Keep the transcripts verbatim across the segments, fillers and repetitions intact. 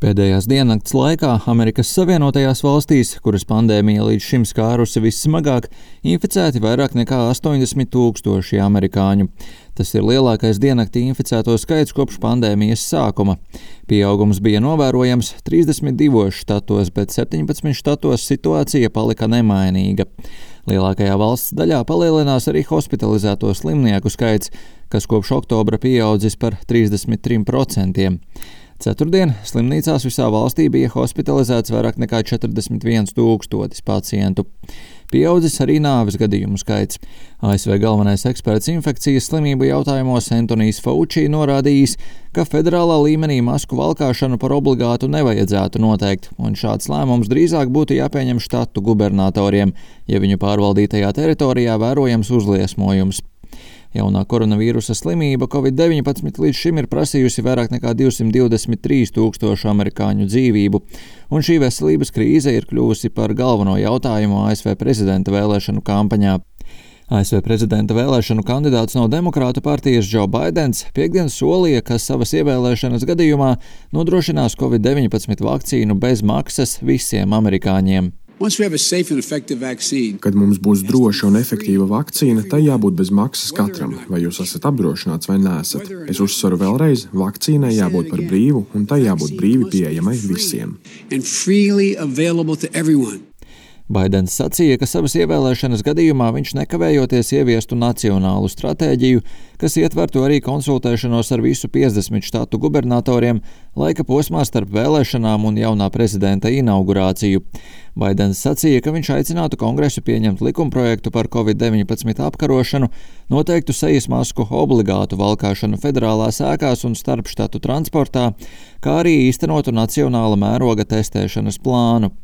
Pēdējās diennakts laikā Amerikas Savienotajās valstīs, kuras pandēmija līdz šim skārusi vissmagāk, inficēti vairāk nekā astoņdesmit tūkstoši amerikāņu. Tas ir lielākais diennaktī inficēto skaits kopš pandēmijas sākuma. Pieaugums bija novērojams trīsdesmit divos štatos, bet septiņpadsmit štatos situācija palika nemainīga. Lielākajā valsts daļā palielinās arī hospitalizēto slimnieku skaits, kas kopš oktobra pieaudzis par trīsdesmit trim procentiem. Ceturtdien slimnīcās visā valstī bija hospitalizēts vairāk nekā četrdesmit viens tūkstotis pacientu. Pieaudzis arī nāves gadījumu skaits. A S V galvenais eksperts infekcijas slimību jautājumos Antonijs Fauci norādījis, ka federālā līmenī masku valkāšanu par obligātu nevajadzētu noteikt, un šāds lēmums drīzāk būtu jāpieņem štatu gubernatoriem, ja viņu pārvaldītajā teritorijā vērojams uzliesmojums. Jaunā koronavīrusa slimība covid deviņpadsmit līdz šim ir prasījusi vairāk nekā divsimt divdesmit trīs tūkstošu amerikāņu dzīvību, un šī veselības krīze ir kļuvusi par galveno jautājumu A S V prezidenta vēlēšanu kampaņā. A S V prezidenta vēlēšanu kandidāts no Demokrātu partijas Džo Baidens piekdien solīja, ka savas ievēlēšanas gadījumā nodrošinās covid deviņpadsmit vakcīnu bez maksas visiem amerikāņiem. Kad mums būs droša un efektīva vakcīna, tai jābūt bez maksas katram, vai jūs esat apdrošināts vai neesat. Es uzsveru vēlreiz, vakcīnai jābūt par brīvu, un tai jābūt brīvi pieejamai visiem. Baidens sacīja, ka savas ievēlēšanas gadījumā viņš nekavējoties ieviestu nacionālu stratēģiju, kas ietvertu arī konsultēšanos ar visu piecdesmit štatu gubernatoriem laika posmā starp vēlēšanām un jaunā prezidenta inaugurāciju. Baidens sacīja, ka viņš aicinātu Kongresu pieņemt likumprojektu par covid deviņpadsmit apkarošanu, noteiktu sejas masku obligātu valkāšanu federālās ēkās un starpštatu transportā, kā arī īstenotu nacionāla mēroga testēšanas plānu.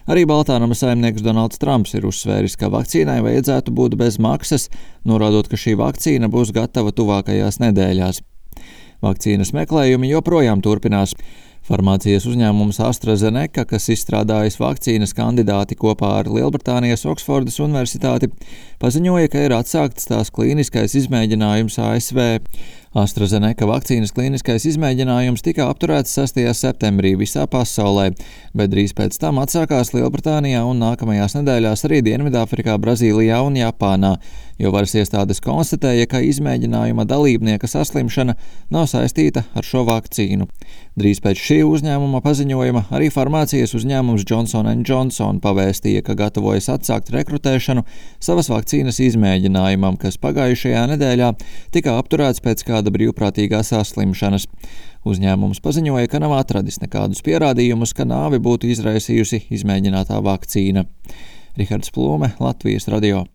Arī Baltānama saimnieks Donalds Trumps ir uzsvēris, ka vakcīnai vajadzētu būt bez maksas, norādot, ka šī vakcīna būs gatava tuvākajās nedēļās. Vakcīnas meklējumi joprojām turpinās. Farmācijas uzņēmums AstraZeneca, kas izstrādājis vakcīnas kandidāti kopā ar Lielbritānijas Oksfordas universitāti, paziņoja, ka ir atsākts tās klīniskais izmēģinājums A S V. AstraZeneca vakcīnas klīniskais izmēģinājums tika apturēts sestajā septembrī visā pasaulē, bet drīz pēc tam atsākās Lielbritānijā un nākamajās nedēļās arī Dienvidāfrikā, Brazīlijā un Japānā, jo varas iestādes konstatēja, ka izmēģinājuma dalībnieka saslimšana nav saistīta ar šo vakcīnu. Drīz pēc šī uzņēmuma paziņojuma arī farmācijas uzņēmums Johnson and Johnson pavēstīja, ka gatavojas atsākt rekrutēšanu savas vakcīnas izmēģinājumam, kas pagājušajā nedēļā tika apturēts pēc kāda brīvprātīgā saslimšanas. Uzņēmums paziņoja, ka nav atradis nekādus pierādījumus, ka nāvi būtu izraisījusi izmēģinātā vakcīna. Rihards Plūme, Latvijas radio.